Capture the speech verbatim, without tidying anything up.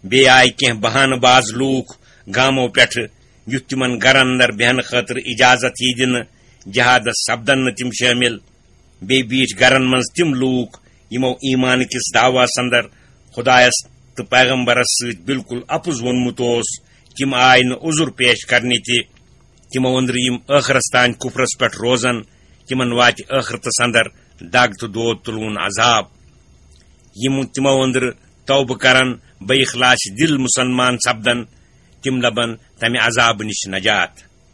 بیٚیہِ آیہِ کینٛہہ بہانہٕ باز لوٗکھ گامو پٮ۪ٹھٕ، یُتھ تِمن گرن اندر بیہنہٕ خٲطرٕ اجازت ییہِ دِنہٕ۔ جہادس سپدن نہٕ تِم شٲمِل۔ بیٚیہِ بیٖٹھۍ گرن منٛز تِم لوٗکھ، یِمو ایمان کِس دعویٰ اندر خدایس تہٕ پیغمبرس سۭتۍ بالکل اپُز ووٚنمُت اوس۔ تِم آیہِ نہٕ عذر پیش کرنہِ تہِ۔ تِمو أنٛدرٕ یِم ٲخرس تام کفرس پٮ۪ٹھ روزن، تِمن واتہِ ٲخرتس اندر دگ تہٕ دود تُلوُن عذاب۔ یِم تِمو أنٛدرٕ توبہٕ کرن، بے اخلاص دِل مسلمان سپدن، تِم لبن تمہِ عذابہٕ نِش نجات۔